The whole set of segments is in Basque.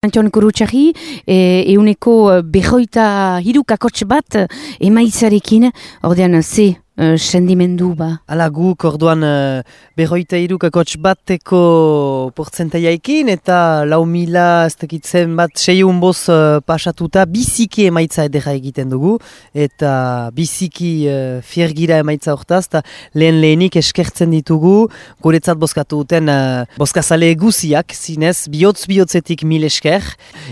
Antion Gurutxarri, euneko behoita hirukakotx bat emaitzarekin, ordean ze sendimendu ba? Hala guk orduan behoita hirukakotx bateko portzentaiaekin eta 4.000 ez dakitzen bat 600 boz pasatuta biziki emaitza edera egiten dugu eta biziki fiergira emaitza hortaz eta lehenik eskertzen ditugu guretzat bozkatu duten bozkazale guziak zinez bihotz-bihotzetik 1000 esker.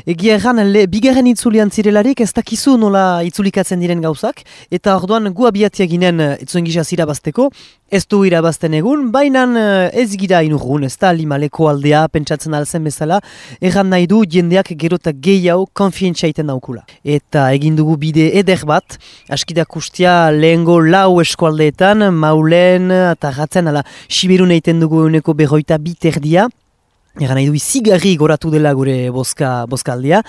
Egia erran bigarren itzulian zirelarik ez dakizu nola itzulikatzen diren gauzak eta orduan gu abiatia ginen etzuen gisa zirabazteko, ez du irabazten egun, baina ez gira inurgun, ez da limaleko aldea pentsatzen alzen bezala, erran nahi du jendeak gerota gehiago konfientzia iten daukula. Eta egin dugu bide eder bat, askidak ustia lehengo 4 eskualdeetan, Maulen eta Ratzen, ala Siberun egiten dugu euneko 22 terdia, egan nahi du izigarri goratu dela gure bozkaldea,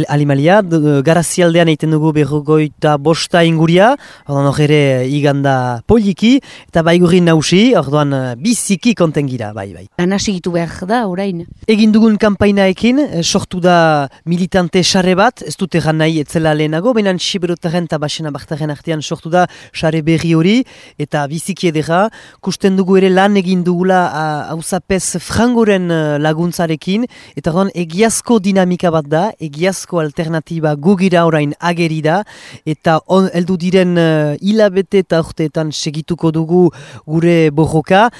alimalia, Garazialdean egiten dugu 25 inguria, orduan hor ere iganda poliki, eta baigurin nausi, orduan biziki konten gira, bai. Lana segitu behar da, orain? Egin dugun kanpainaekin, sortu da militante sare bat, ez dut egan nahi etzela lehenago, baina Siberotaren eta Basena Bartaren artean sortu da sare berri hori, eta biziki edera, kusten dugu ere lan egin dugula hauzapez frangoren laguntzarekin, eta orduan egiazko dinamika bat da, egiazko alternatiba gugira orain ageri da, eta heldu diren hilabete eta urteetan segituko dugu gure borroka,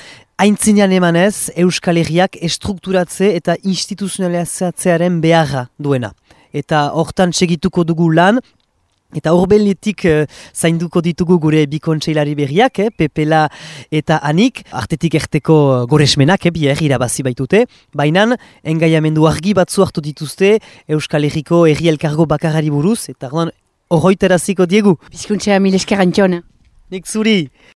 aintzinean emanez Euskal Herriak estrukturatze eta instituzionalizatzearen beharra duena. Eta hortan segituko dugu lan, eta horbeletik zainduko ditugu gure bi kontseilari berriak, Pepela eta Anik, artetik erteko goresmenak, bier irabazi baitute, baina engaiamendu argi batzu hartu dituzte Euskal Herriko herri elkargo bakarari buruz, eta horroiteraziko diegu. Bizkuntzea 1000 esker Antion. Nik zuri!